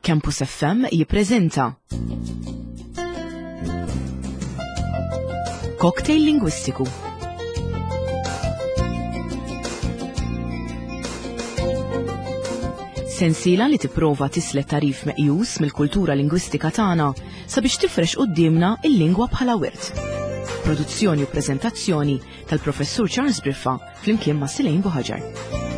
Campus FM jippreżenta Cocktail Lingwistiku. Sensiela li tipprova tislet tarif meqjus mill-kultura lingwistika tagħna sabiex tifrex quddiemna il-lingwa bħala wirt. Produzzjoni u preżentazzjoni tal-Professur Charles Briffa flimkien ma' Silejn Buħaġar.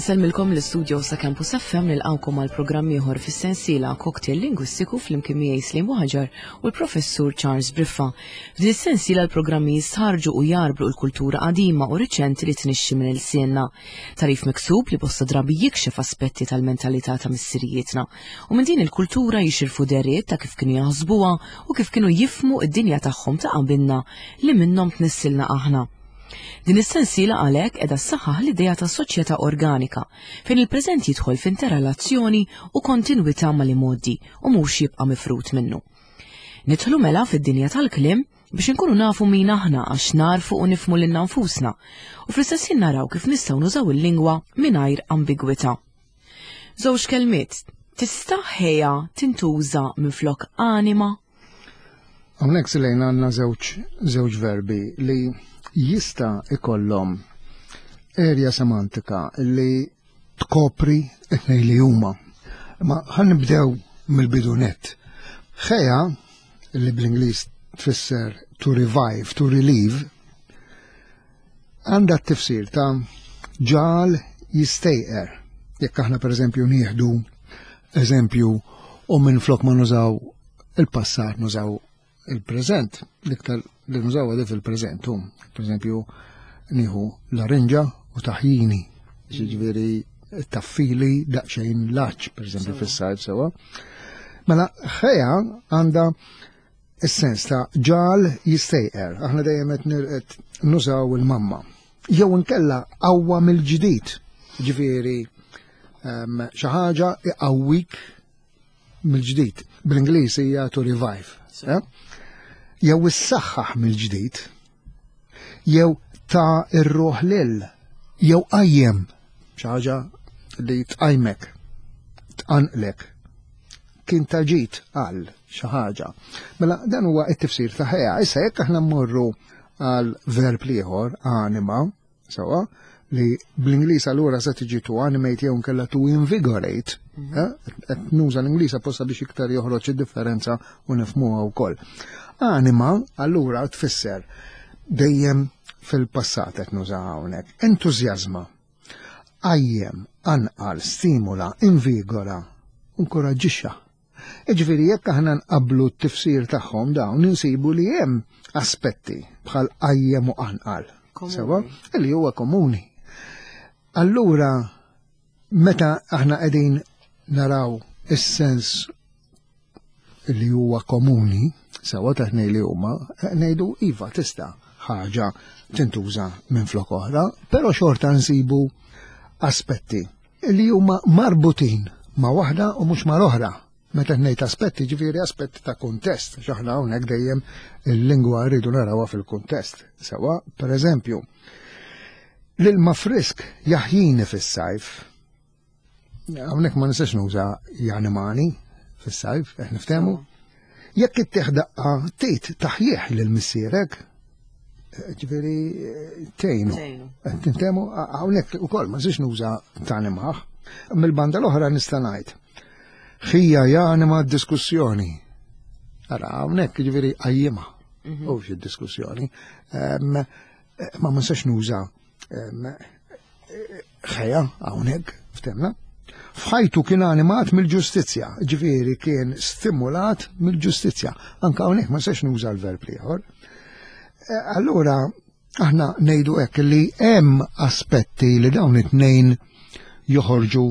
Insellmilkom l-istudio sa' Campus FM nilqawkom għal programm ieħor fis-sensiela Cocktail Lingwistiku flimkien miegħi Slim Buħaġar u l-Professur Charles Briffa. F'din is-sensiela l-programmi jistħarġu u jarblu l-kultura qadima u riċenti li tnixxi minn ilsienna. Tarif miksub li bosta drabi jikxef aspetti tal-mentalità ta' missirijietna u minn din il-kultura jixirfu deriet ta' kif kienu jaħsbuha u kif kienu jifmu id-dinja tagħhom ta' qabilna li minnhom tnissilna aħna. Din is-sensiela għalhekk qiegħda ssaħħaħ l-idea ta' soċjetà organika fejn il-preżent jidħol f'interrelazzjoni u kontinwità mal-imgħoddi u mhux jibqa' mifrud minnu. Nidħlu mela fid-dinja tal-kliem biex inkunu nafu min aħna għax narfu u nifmu lilna nfusna u fl-istess ħin naraw kif nistgħu nużaw il-lingwa mingħajr ambigwità. Żewġ kelmiet, tista' ħeja tintuża minflok anima? Hawnhekk silejn għandna żewġ żewġ verbi li jista' ikollhom erja semantika li tkopri it-tnejn li huma. Ma ħan nibdew mill-bidu nett. Ħeja li bl-Ingliż tfisser to revive, to relieve, għandha t-tifsir ta' ġal jistejqer. Jekk aħna pereżempju nieħdu eżempju u minn flok ma nużaw il-passat nużaw il-preżent, l-iktar li nużaw għadif fil-preżent, per eżempju, nieħu larinġa u taħjini, ġifieri taffili daqsxejn laċ, per eżempju, fis-sajf sewa. Mela, ħeja għandha is-sens ta' ġal jistejqer, aħna dejjem qed nużaw il-mamma. Jew inkella qawwa mill-ġdid, ġifieri ehm, xi ħaġa iqawwik mill-ġdid. Bl-Ingliż hija to revive. Eh? Jew issaħħaħ mill-ġdid, jew ta' ir-ruħ lil, jew qajjem xi ħaġa li tqajmek, tqanqlek. Kien ta' ġid għal xi ħaġa. Mela dan huwa t-tifsir ta' ħeja. Issa jekk aħna mmorru għal verb ieħor, anima, Sewa, li bl-Ingliż allura se tiġi to animate jew nkella to invigorate, mhm. eh, qed nuża l-Ingliż apposta biex iktar joħroġ id-differenza u nifhmuha wkoll. Anima allura tfisser dejjem fil-passat qed nuża hawnhekk. Entużjażma, qajjem, anqal, stimula, invigora, inkoraġġixxa. Jiġifieri jekk aħna nqabblu t-tifsir tagħhom dawn insibu li hemm aspetti bħal qajjem u qanqal. Sewa, li huwa komuni. Allura meta aħna qegħdin naraw is-sens li huwa komuni, sewa taħnej li huma, ngħidu iva tista' ħaġa tintuża minn flok oħra, però xorta nsibu aspetti li huma marbutin ma' waħda u mhux mal-oħra. Meta ngħid aspetti, ġifieri aspetti ta' kuntest, x'aħna hawnhekk dejjem il-lingwa rridu narawha fil-kuntest. Sewa, pereżempju, l-ilma frisk jaħjini fis-sajf. Hawnhekk ma nistax nuża janimani fis-sajf, qed niftehmu. Jekk ittieħ daqqa tgħid taħjih lil missierek, ġifieri tgħinu. Tintemu hawnhekk ukoll ma nistax nuża tanimaħ. Mill-banda l-oħra nista' ngħid. Ħija janima d-diskussjoni. Ara hawnhekk ġifieri qajjimha mhm. u xi diskussjoni. Ma ma nistax nuża ħeja hawnhekk ftemna. F'ħajtu kien animat mill-ġustizzja, ġifieri kien stimulat mill-ġustizzja. Anka hawnhekk ma nistax nuża l-verb ieħor. Eh, allura aħna ngħidu hekk li hemm aspetti li dawn it-tnejn joħorġu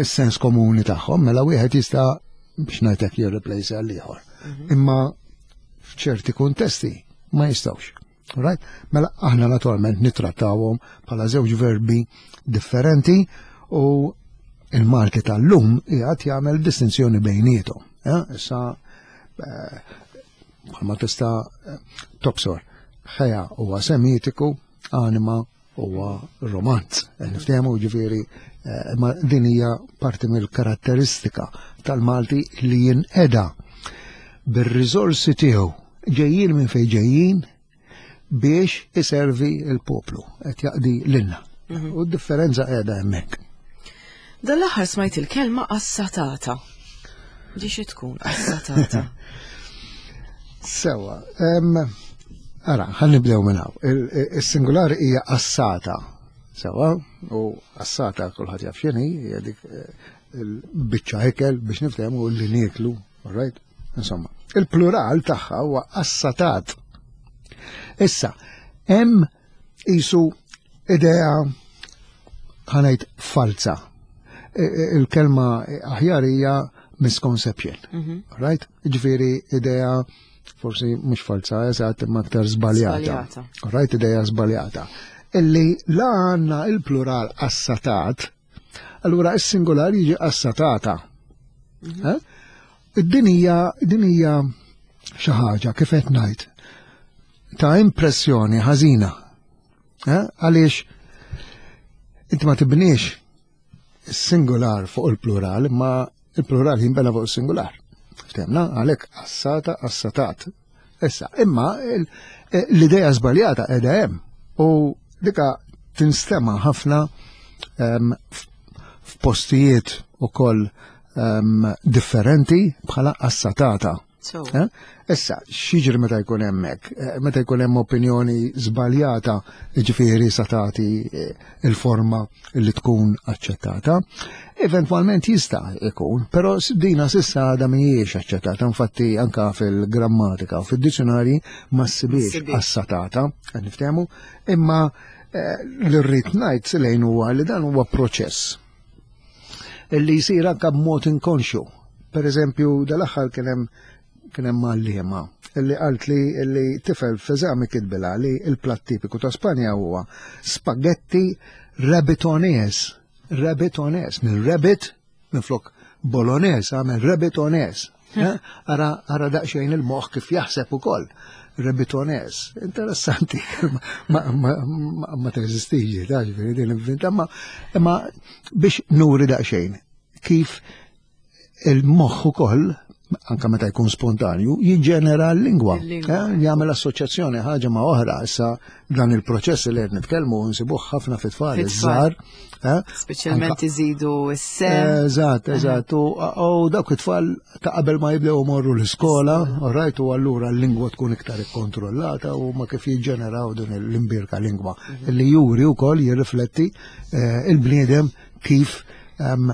is-sens komuni tagħhom, mela wieħed jista' biex ngħidlek jirreplace għal ieħor. Mhm. Imma f'ċerti kuntesti ma jistgħux. Right? Mela aħna naturalment nittrattawhom bħala żewġ verbi differenti u il-Malti tal-lum qiegħed jagħmel distinzjoni bejniethom. Eh? Issa eh, bħalma tista' eh, tobsor ħeja huwa semitiku, anima huwa romanz. Niftehmu ġifieri ma din hija parti mill-karatteristika tal-Malti li jinqeda bir-riżorsi tiegħu ġejjin minn fejn ġejjin biex iservi l-poplu qed jaqdi lilna. Mhm. U d-differenza qiegħda hemmhekk. Dan l-aħħar smajt il-kelma assatata. Di xi tkun assatata? Sewa, ara, ħan nibdew minn hawn. Is-singular hija assata. Sewa, u assata kulħadd jaf x'inhi, hija dik eh, il-biċċa ikel biex niftehmu li nieklu, all right? Insomma, il-plural tagħha huwa assatat. Issa, hemm isu idea ħanajt falza. E, e, il-kelma aħjar hija misconception. Mhm. Right? Ġifieri idea forsi mhux falza eżatt imma aktar żbaljata. Right, idea żbaljata. Illi la għandna il-plural assatat, allura is-singular jiġi assatata. Mhm. Eh? Din hija din hija xi ħaġa kif qed ngħid ta' impressjoni ħażina. Eh? Għaliex inti ma tibniex is-singular fuq il-plural, imma il-plural jinbena fuq is-singular. Ftemna, għalhekk assata, assatat. Issa, imma eh, l-idea żbaljata qiegħda hemm u dika tinstema ħafna ehm, f'postijiet ukoll ehm, differenti bħala assatata. Eh? Issa, x'jiġri meta jkun hemmhekk? Eh, meta jkun hemm opinjoni żbaljata, jiġifieri sa tagħti eh, il-forma li tkun aċċettata. Eventwalment jista' jkun, però dina sissa għadha mhijiex aċċettata, infatti anka fil-grammatika u fid-dizzjonarji ma ssibiex assatata, qed niftehmu, imma li rrid ngħid lejn huwa li dan huwa proċess li jsir anka b'mod inkonxju. Per eżempju, dal-aħħar kien hemm kien hemm għalliema li qalt li li tifel f'eżami kitbilha li l-platt tipiku ta' Spanja huwa spaghetti rabbitones. Rabbitones, minn rabbit minflok bolognese għamel rabbitones. Eh? Ara, ara daqsxejn il-moħħ kif jaħseb ukoll. Rebitones, interessanti, ma, ma, ma, ma teżistix, ta' ġifieri din inventa, ma, imma biex nuri daqsxejn kif il-moħħ ukoll anka meta jkun spontanju, jiġġenera l-lingwa. Eh, jagħmel assoċjazzjoni ħaġa ma' oħra. Issa dan il-proċess li qed nitkellmu nsibuh ħafna fit-tfal iż-żgħar. Eh? Speċjalment iżidu s-sem. Eżatt, eżatt. U dawk it-tfal ta' qabel ma jibdew morru l-iskola, rajt u allura l-lingwa tkun iktar ikkontrollata u ma kif jiġġeneraw din l-imbirka lingwa mhm. li juri wkoll jirrifletti eh, il-bniedem kif ehm,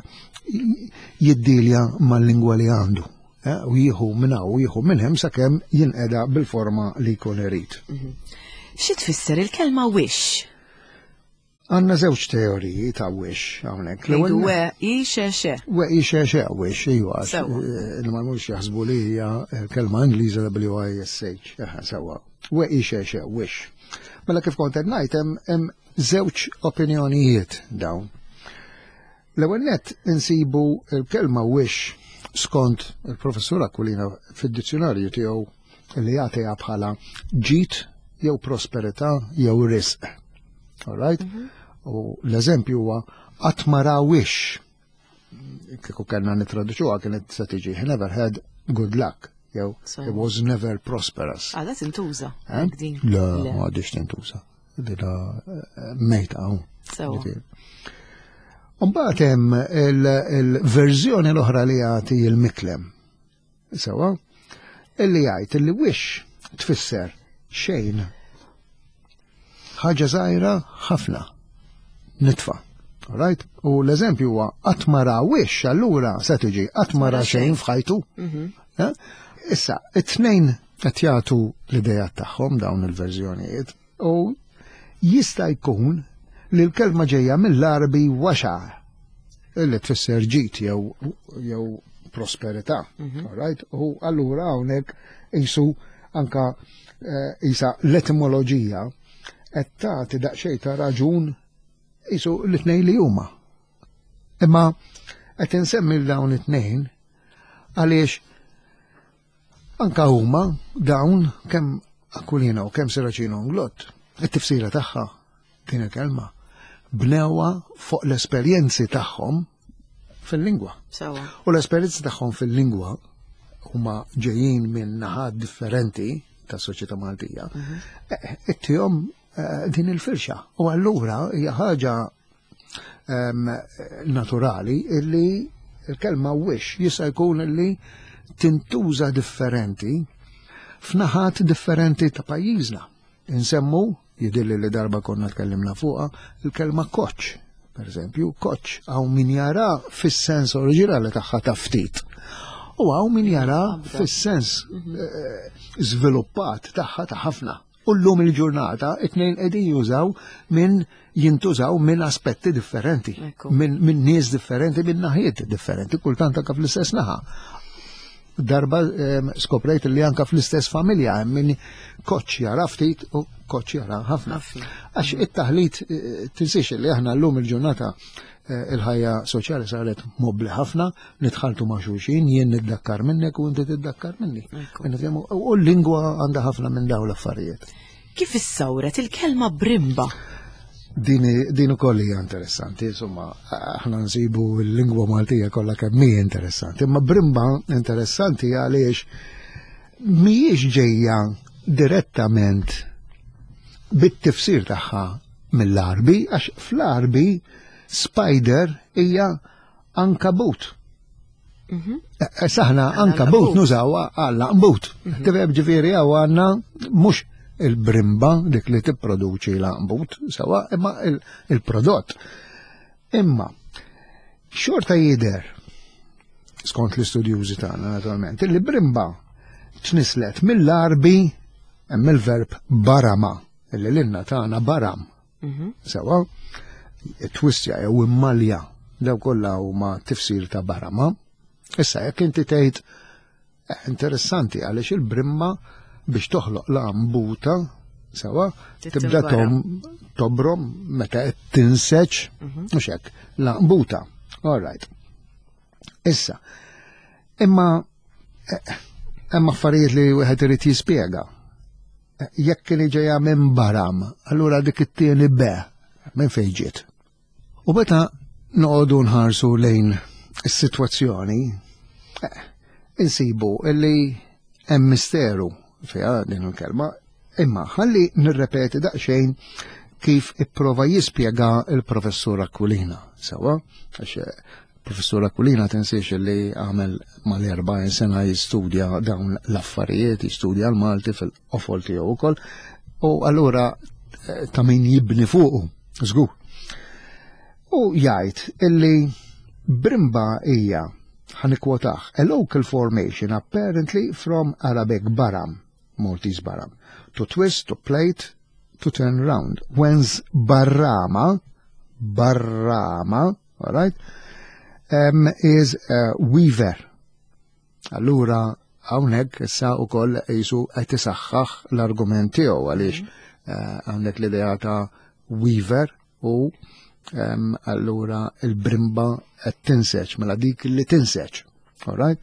jiddilja mal-lingwa li għandu. Eh, u jieħu minn hawn u jieħu minn hemm sakemm jinqeda bil-forma li jkun irid. Mhm. Xi tfisser il-kelma wish? Għanna żewġ teoriji ta' wish hawnhekk. Ngħidu we i xe xe. We i xe xe wish, iva. Eh, il ma mhux jaħsbu li hija eh, kelma Ingliża W-I-S-H. Sewwa. We i xe xe wish. Mela kif kont qed ngħid hemm żewġ opinjonijiet dawn. L-ewwel nett insibu l-kelma wish skont il-professur Aquilina fid-dizzjonarju tiegħu li jagħtiha bħala ġid jew prosperità jew risq. All right? Mm -hmm. U l-eżempju huwa qatt ma ra wish. Kieku kellna nitraduċuha kienet se tiġi he never had good luck jew he was never prosperous. Għada ah, tintuża. Eh? Le, ma għadix tintuża. Dila eh, mejta hawn. Mbagħad hemm il-verżjoni l-oħra li jagħti il-miklem. Sewa, illi jgħid illi wish tfisser xejn. Ħaġa żgħira ħafna. Nitfa. Right? U l-eżempju huwa qatt ma ra wish allura se tiġi qatt ma ra xejn f'ħajtu. Mhm. Eh? Issa, it-tnejn qed jagħtu l-idea tagħhom dawn il-verżjonijiet u jista' jkun li l-kelma ġejja mill-Għarbi waxa li tfisser ġid jew jew prosperità. Mhm. Right? U allura hawnhekk qisu anka eh, isa l-etimoloġija qed tagħti daqsxejn ta' raġun isu l-tnejn li huma. Imma qed insemmi dawn it-tnejn għaliex anka huma dawn kemm Aquilina u kemm Serracino Inglott, it-tifsira tagħha din il-kelma bnewha fuq l-esperjenzi tagħhom fil-lingwa. U l-esperjenzi tagħhom fil-lingwa huma ġejjin minn naħat differenti ta' soċjetà Maltija. Mhm. Eh, ittihom eh, din il-firxa. U allura hija ħaġa ehm, naturali illi il-kelma wish jista' jkun illi tintuża differenti f'naħat differenti ta' pajjiżna. Insemmu, jidilli li darba konna tkellimna fuqha, il-kelma koċ, per eżempju, koċ, hawn min jara fis-sens oriġinali tagħha ta' ftit. U hawn min jara fis-sens mhm. eh, żviluppat tagħha ta' ħafna. U llum il-ġurnata it-tnejn qegħdin jużaw minn jintużaw minn aspetti differenti, minn min nies differenti, minn naħiet differenti, kultant anka fl-istess naħa. Darba skoprejt li anka fl-istess familja hemm min koċ jara ftit u koċ jara ħafna. Għax it-taħlit eh, tinsiex li aħna llum il-ġurnata eh, il-ħajja soċjali saret mobli ħafna, nitħaltu ma' xulxin, jien niddakkar minnek u inti tiddakkar minni. U l-lingwa għandha ħafna minn dawn l-affarijiet. Kif issawret il-kelma brimba? Din, din ukoll hija interessanti, insomma, aħna nsibu l-lingwa Maltija kollha kemm hi interessanti, imma brimba interessanti għaliex mhijiex ġejja direttament bit-tifsir tagħha mill-Arbi, għax fl-Arbi spider hija ankabut. Mhm. Eh, eh, saħna ankabut nużaw għal aqbut. Mhm. Tifhem ġifieri hawn għandna mhux il-brimba dik li tipproduċi l-aqbut sewa imma il-prodott. Imma xorta jidher skont l-istudjużi tagħna naturalment, li brimba tnislet mill-arbi hemm il-verb barama, illi l-inna tagħna baram. Mhm. Sewa, twissja jew immalja daw kollha huma tifsir ta' barama. Issa jekk inti tgħid eh, interessanti għaliex il-brimma biex toħloq l-ambuta sewa tibda tom tobrom meta qed tinseġ mhm. mhux hekk l-ambuta. All right. Issa, imma eh, hemm affarijiet li wieħed irid jispjega. Eh, jekk kien ġejja minn baram, allura dik it-tieni be minn fejn ġiet. U meta noqogħdu nħarsu lejn is-sitwazzjoni, eh, insibu illi hemm misteru fiha din il-kelma, imma ħalli nirrepeti daqsxejn kif ipprova jispjega il-professur Aquilina. Sewa, għax eh, professur Aquilina tinsiex li għamel mal-40 sena jistudja dawn l-affarijiet, jistudja l-Malti fil-qofol tiegħu wkoll, u allura eh, ta' min jibni fuqu, żgur. U jgħid illi Brimba hija ħanikwotaħ, a local formation apparently from Arabic baram, Maltese baram, to twist, to plate, to turn round. Whence barrama, barrama, all right, um, is a weaver. Allura, hawnhekk issa wkoll jisu qed isaħħaħ l-argument tiegħu għaliex mhm. eh, għandek l-idea ta' weaver u um, allura il-brimba qed tinseġ mela dik li tinseġ. All right?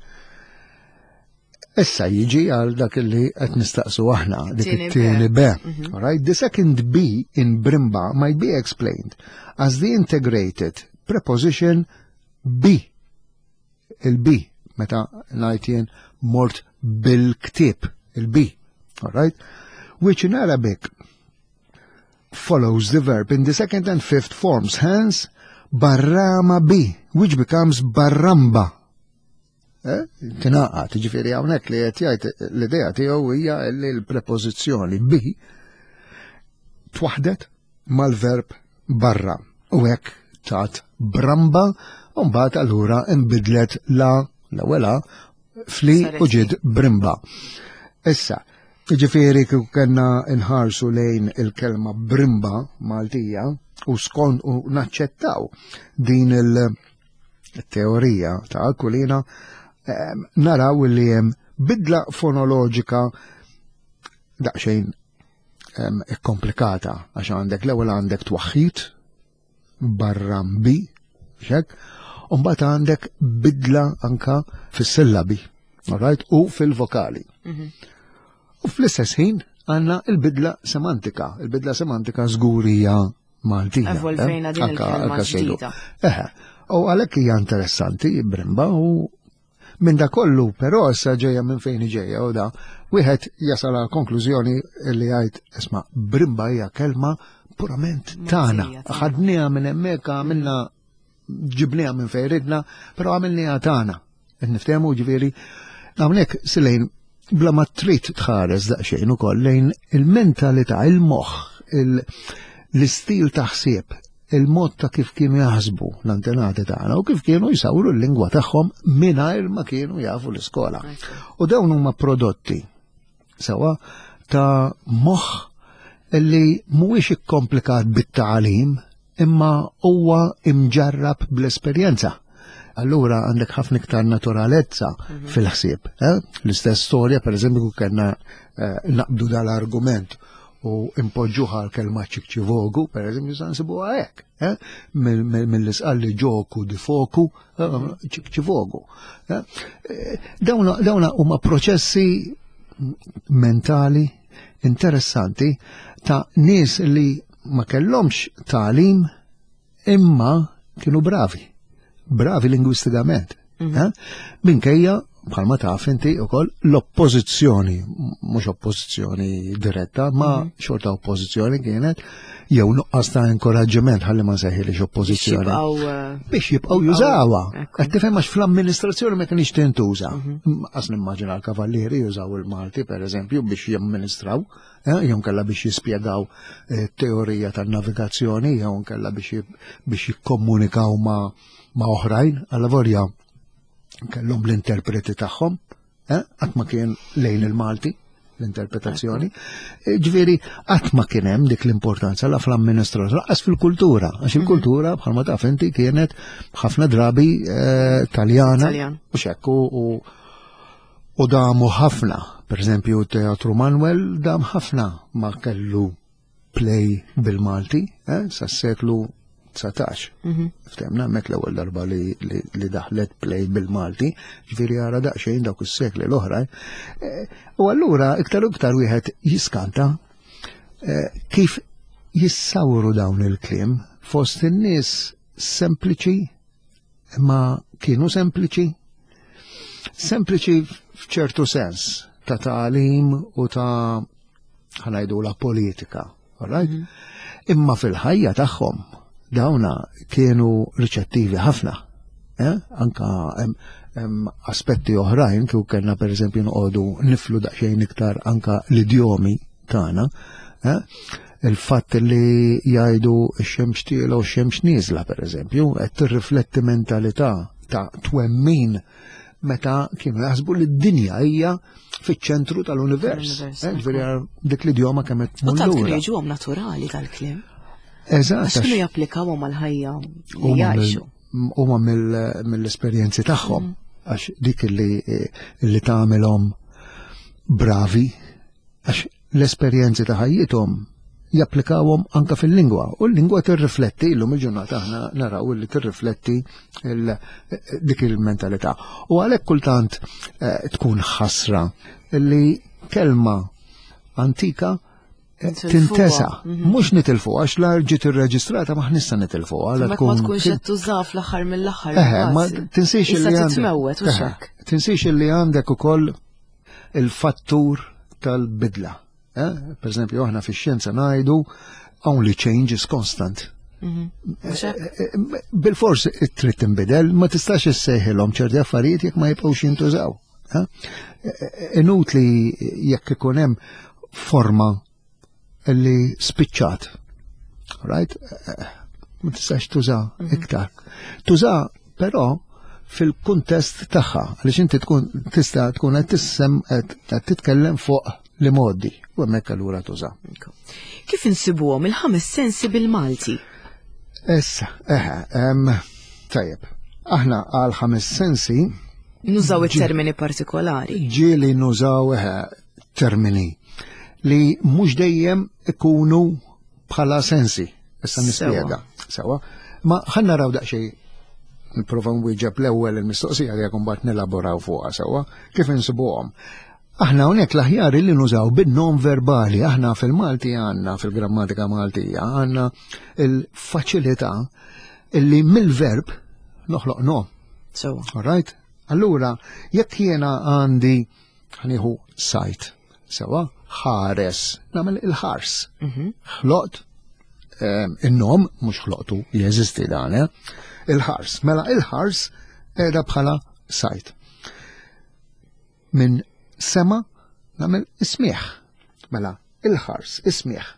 Issa jiġi għal dak li qed nistaqsu aħna, dik it-tieni B. Mhm. All right? The second B in brimba might be explained as the integrated preposition B. Il-B, meta ngħid jien mort bil-ktieb, il-B. All right? Which in Arabic follows the verb in the second and fifth forms, hence barrama B, which becomes barramba. Eh? Tinaqat, ġifieri hawnhekk li qed jgħid l-idea tiegħu hija li l-prepożizzjoni bi twaħdet mal-verb barra u hekk tat bramba u mbagħad allura nbidlet la l-ewwel fli u ġiet brimba. Issa, ġifieri kieku kellna nħarsu lejn il-kelma brimba Maltija u skont u naċċettaw din il- teorija ta' Aquilina ehm, naraw li hemm bidla fonoloġika daqsxejn komplikata għax għandek l-ewwel għandek twaħħid barra bi, xek, u mbagħad għandek bidla anka fis-sillabi, alright, u fil-vokali. U fl-istess ħin għandna il-bidla semantika. Il-bidla semantika żgur hija Maltija. Evolvejna din il-kelma ġdida. Eħe, u għalhekk hija interessanti brimba u minn da kollu però issa ġejja minn fejn ġejja u da wieħed jasal għal konklużjoni li jgħid isma' brimba hija kelma purament tagħna. Ħadniha minn hemmhekk għamilna ġibniha minn fejn ridna, però għamilniha tagħna. Qed niftehmu ġifieri hawnhekk silejn bla ma trid tħares daqsxejn ukoll lejn il-mentalità, il-moħħ, l-istil ta' ħsieb, il-mod ta' kif kienu jaħsbu l-antenati tagħna u kif kienu jsawru l-lingwa tagħhom mingħajr ma kienu jafu l-iskola. U dawn huma prodotti sewa ta' moħħ li mhuwiex ikkomplikat bit-tagħlim imma huwa imġarrab bl-esperjenza. Allura għandek ħafna iktar naturalezza fil-ħsieb. Eh? L-istess storja, per eżempju, kellna eh, naqbdu dal-argument u impoġġuha l-kelma ċikċivogu, per eżempju, sa nsibuha hekk, eh? Mill-isqalli ġoku di foku, ċikċivogu. Dawna huma proċessi mentali interessanti ta' nies li ma kellhomx tagħlim imma kienu bravi. Bravi lingwistikament. Eh? Minkejja bħalma taf inti ukoll l-oppożizzjoni, mhux oppożizzjoni diretta, ma xorta oppożizzjoni kienet jew nuqqas ta' inkoraġġiment ħalli ma nsejħilix oppożizzjoni. Eh, Biex jibqgħu jużawha. Qed tifhem għax fl-amministrazzjoni ma kienx tintuża. Qas nimmaġina l-kavallieri jużaw il-Malti pereżempju biex jamministraw, eh, jew kellha biex jispjegaw eh, teorija tan-navigazzjoni, jew kellha biex jikkomunikaw ma' ma' oħrajn, alla volja kellhom l-interpreti tagħhom, eh, qatt ma kien lejn il-Malti l-interpretazzjoni. Eh, ġifieri qatt ma kien hemm dik l-importanza la fl-amministrazzjoni, lanqas fil-kultura, għax il-kultura bħalma taf inti kienet ħafna drabi eh, Taljana u xekk u u damu ħafna. Per eżempju, Teatru Manuel dam ħafna ma kellu play bil-Malti eh, sas-seklu 19. Ftemna hemmhekk l-ewwel darba li, li, li daħlet play bil-Malti, ġifieri ara daqsxejn dawk is-sekli l-oħra. Eh, u allura iktar u iktar wieħed jiskanta eh, kif jissawru dawn il-kliem fost in-nies sempliċi imma kienu sempliċi sempliċi f'ċertu sens ta' tagħlim u ta' ħanajdu la politika, right? Imma fil-ħajja tagħhom dawna kienu riċettivi ħafna. Eh? Anka hemm aspetti oħrajn kieku kellna pereżempju noqogħdu niflu daqsxejn iktar anka l-idjomi tagħna. Eh? Il-fatt li jgħidu x-xemx tiela u x-xemx nieżla pereżempju, qed tirrifletti mentalità ta' twemmin meta kienu jaħsbu li d-dinja hija fiċ-ċentru tal-univers. Eh, ġifieri dik l-idjoma kemm qed U tant kienu jiġuhom naturali tal-kliem. Eżatt. Għax kienu japplikawhom għall-ħajja li jgħixu. Huma mill-esperjenzi tagħhom mm. għax dik li li tagħmilhom bravi għax l-esperjenzi ta' ħajjithom japplikawhom anka fil-lingwa u l-lingwa tirrifletti illum il-ġurnata aħna naraw li tirrifletti dik il-mentalità. U għalhekk kultant eh, tkun ħasra li kelma antika eh, tintesa, mhm. mhux nitilfu għax la ġiet irreġistrata ma ħnissa nitilfu għal tkun. Ma tkunx qed tuża fl-aħħar mill-aħħar. Eh, ma tinsiex li għandek. Tinsiex li għandek ukoll il-fattur tal-bidla. Eh? Per eżempju, aħna fix-xjenza ngħidu only change is constant. Mhm. Eh, eh, bil-fors trid tinbidel, ma tistax issejħilhom ċerti affarijiet jekk ma jibqgħux jintużaw. Inutli jekk ikun hemm forma li spiċċat. Right? Ma tistax tuża mhm. iktar. Tuża però fil-kuntest tagħha, għaliex inti tkun tista' tkun qed tissem qed titkellem fuq li modi u hemmhekk allura tuża. Kif insibuhom il-ħames sensi bil-Malti? Issa, eħe, tajjeb. Aħna għal ħames sensi Nużaw it-termini partikolari. Ġieli nużaw eħe termini. li mhux dejjem ikunu bħala sensi. Issa nispjega. Sewa. Ma ħa naraw daqsxejn nipprova nwieġeb l-ewwel il-mistoqsija li jekk mbagħad nelaboraw fuqha sewwa kif insibuhom. Aħna hawnhekk l-aħjar li nużaw bin-nom verbali, aħna fil-Malti għandna fil-grammatika Maltija għandna il-faċilità illi mill-verb noħloq nom. Sewwa. All right? Allura, jekk jiena għandi ħa nieħu sight, sewwa, ħares, nagħmel il-ħars. Ħloqt in-nom, mhux ħloqtu, jeżisti dan, eh? Il-ħars. Mela il-ħars qiegħda bħala sight. Minn sema nagħmel is-smieħ. Mela il-ħars, is-smieħ.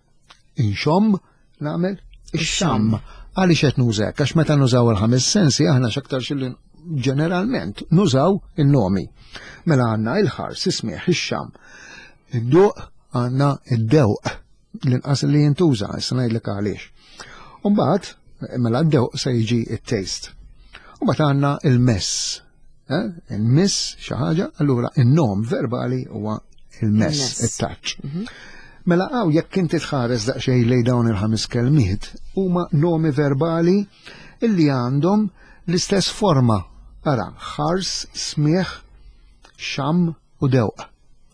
Inxomm nagħmel ix-xamm. Għaliex qed nużek? Għax meta nużaw il-ħames sensi aħna x'aktar xilli ġeneralment nużaw in-nomi. Mela għandna il-ħars, is-smieħ, ix-xamm. Id-duq għandna id-dewq l-inqas li jintuża, issa ngħidlek għaliex. Umbagħad, mela d-dewq se jiġi it-taste. Umbagħad għandna il-mess. Eh? Il-miss xi ħaġa, allura in-nom verbali huwa il-mess, it-touch. Mela għaw jekk inti tħares daqsxejn lejn dawn il-ħames kelmiet, huma nomi verbali illi għandhom l-istess forma. Ara, ħars, smieħ, xam u dewq.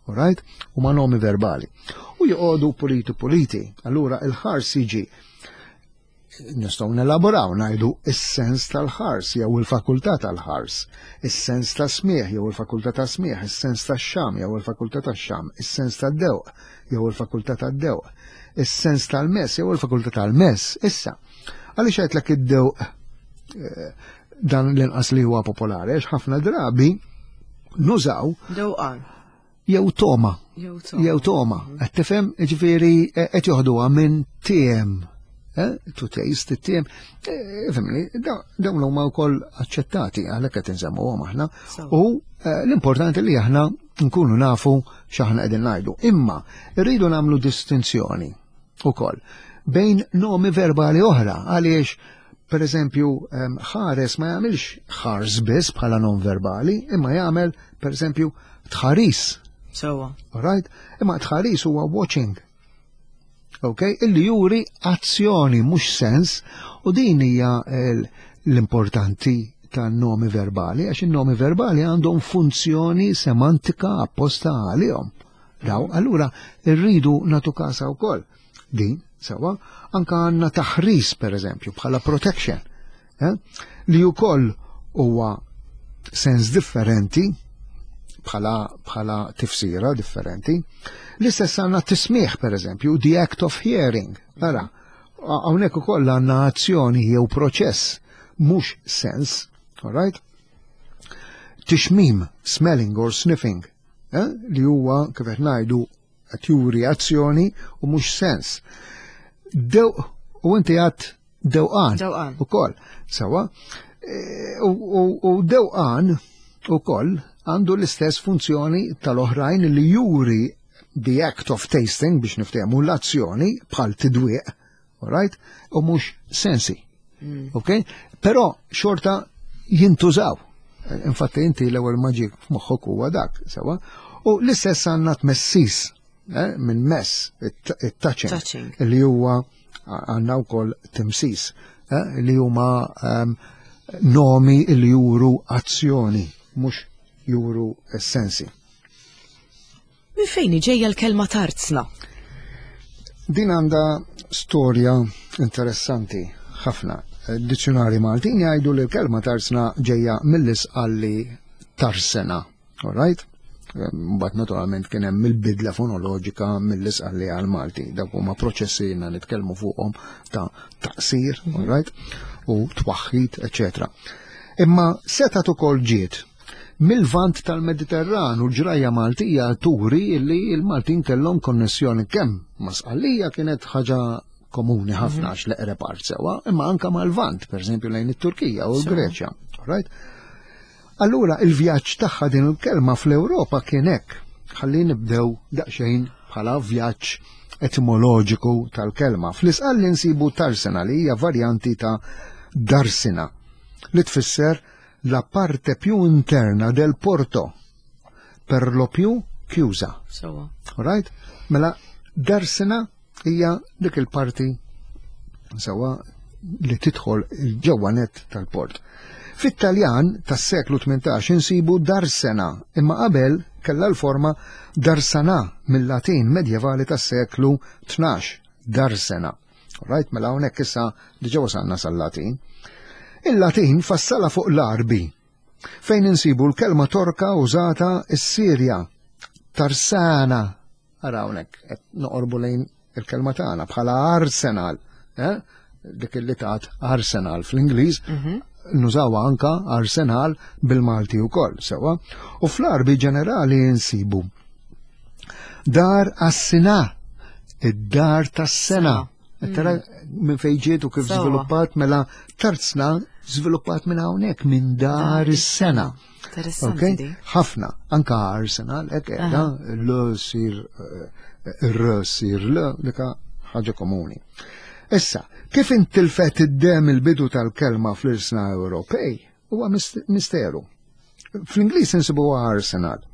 Alright? Huma nomi verbali. U joqogħdu puliti puliti. Allura il-ħars jiġi nistgħu nelaboraw ngħidu is-sens tal-ħars jew il-fakultà tal-ħars, is-sens ta' smieħ jew il-fakultà ta' smieħ, is-sens tax-xam jew il-fakultà tax-xam, is-sens tad-dewq jew il-fakultà tad-dewq, is-sens tal-mess jew il-fakultà tal-mess. Issa, għaliex għedtlek id-dewq dan l-inqas li huwa popolari, għax ħafna drabi nużaw Dewqan. jew toma. Jew toma. Jew toma. Qed tifhem, ġifieri qed joħduha minn tiem. To taste it-tiem. Fimni, dawn huma wkoll aċċettati għalhekk qed insemmuhom aħna. U l-importanti li aħna nkunu nafu x'aħna qegħdin ngħidu. Imma rridu nagħmlu distinzjoni ukoll bejn nomi verbali oħra għaliex per eżempju ħares ma jagħmilx ħars biss bħala nom verbali, imma jagħmel per eżempju tħaris. Sewwa. Alright? Imma tħaris huwa watching. Ok? Illi juri azzjoni mhux sens u din hija l-importanti tan-nomi verbali għax in-nomi verbali għandhom funzjoni semantika apposta għalihom. Daw, allura rridu natu kasa wkoll. Din, sewwa, anka għandna taħris per eżempju bħala protection, li wkoll huwa sens differenti bħala tifsira differenti. L-istess għandna tismieħ per eżempju, the act of hearing. Ara, hawnhekk ukoll għandna azzjoni jew proċess, mhux sens, all right? Tixmim, smelling or sniffing, li huwa kif qed ngħidu qed juri azzjoni u mhux sens. Dewq u inti għad dewqan. Dewqan. Ukoll, sewwa. U dewqan ukoll għandu l-istess funzjoni tal-oħrajn li juri the act of tasting biex niftehmu l-azzjoni bħal tidwieq, all right? U mhux sensi. Ok? Però xorta jintużaw. Infatti inti l-ewwel ma ġiek f'moħħok huwa dak, sewwa. U l-istess għandna tmessis, minn mess, it-touching, Touching. li huwa għandna wkoll timsis, li huma nomi li juru azzjoni, mhux juru sensi. Minn fejn ġejja l-kelma tarzna? Din għandha storja interessanti ħafna. Dizzjonari Maltin jgħidu li l-kelma tarzna ġejja mill-Isqalli tarsena. All right? Mbagħad naturalment kien hemm il-bidla fonoloġika mill-Isqalli għal Malti. Dak huma proċessi jiena nitkellmu fuqhom ta' taqsir, all right? U twaħħid, eċetera. Imma setgħet ukoll ġiet mill-vant tal-Mediterran u l-ġrajja Maltija turi li l-Maltin kellhom konnessjoni kemm ma' Sqallija kienet ħaġa komuni ħafna għax l-eqreb art sewwa, imma anka mal-Vant, per eżempju lejn it-Turkija u l-Greċja. Right? Allura il-vjaġġ tagħha din il-kelma fl-Ewropa kien hekk. Ħalli nibdew daqsxejn bħala vjaġġ etimoloġiku tal-kelma. Fl-Isqalli nsibu tarsena li hija varjanti ta' darsina li tfisser la parte più interna del porto, per lo più chiusa. Sewwa. Right? Mela, Darsena hija dik il-parti sewa li tidħol il-ġewwa net tal-port. Fit-Taljan tas-seklu 18 insibu darsena, imma qabel kellha l-forma darsana mill-Latin medjevali tas-seklu 12, darsena. Right, mela hawnhekk issa diġà wasalna sal-Latin. Il-Latin fassala fuq l-Arbi, fejn insibu l-kelma Torka użata s-Sirja, tarsana, ara hawnhekk qed noqorbu lejn il-kelma tagħna bħala Arsenal, eh? dik li tat Arsenal fl-Ingliż, mhm. nużawha anka Arsenal bil-Malti wkoll, sewwa. U fl-Arbi ġenerali nsibu dar għas-sina, id-dar tas-sena. Tara mm. minn fejn ġiet u kif żviluppat mela tarzna żviluppat minn hawnhekk minn dar is-sena. Interessanti. Ħafna, anka Arsenal, hekk qiegħda l sir eh, r sir l dika ħaġa komuni. Issa, kif intilfet id-dem il-bidu tal-kelma fl-irsna Ewropej huwa misteru. Fl-Ingliż insibuha Arsenal.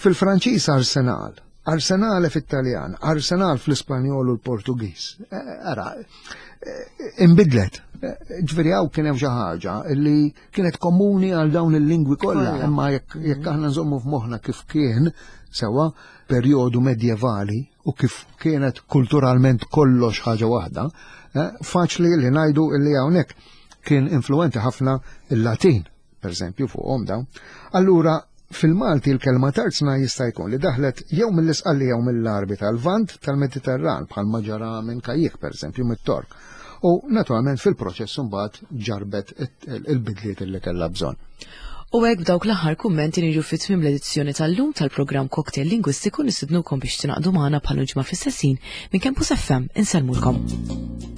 Fil-Franċiż Arsenal, Arsenale fit-Taljan, Arsenal fl-Ispanjol u l-Portugiż. Eh, ara, eh, imbidlet. Eh, ġifieri hawn kien hemm xi ħaġa li kienet komuni għal dawn il-lingwi kollha, imma jekk mhm. aħna nżommu f'moħħna kif kien sewa perjodu medjevali u kif kienet kulturalment kollox ħaġa waħda, faċli li ngħidu li hawnhekk kien influenti ħafna il-Latin per eżempju, fuqhom dawn. Allura, fil-Malti l-kelma tarzna jista' jkun li daħlet jew mill-Isqalli jew mill-Għarbi tal-Lvant tal-Mediterran bħal ma ġara minn Kajjik per eżempju mit-Tork. U naturalment fil-proċess imbagħad ġarbet il-bidliet li kellha bżonn. U hekk b'dawk l-aħħar kummenti niġu fi tmiem l-edizzjoni tal-lum tal-programm Cocktail Lingwistiku nistidnukom biex tingħaqdu magħna bħal ġimgħa fl-istess ħin minn Campus FM insellmulkom.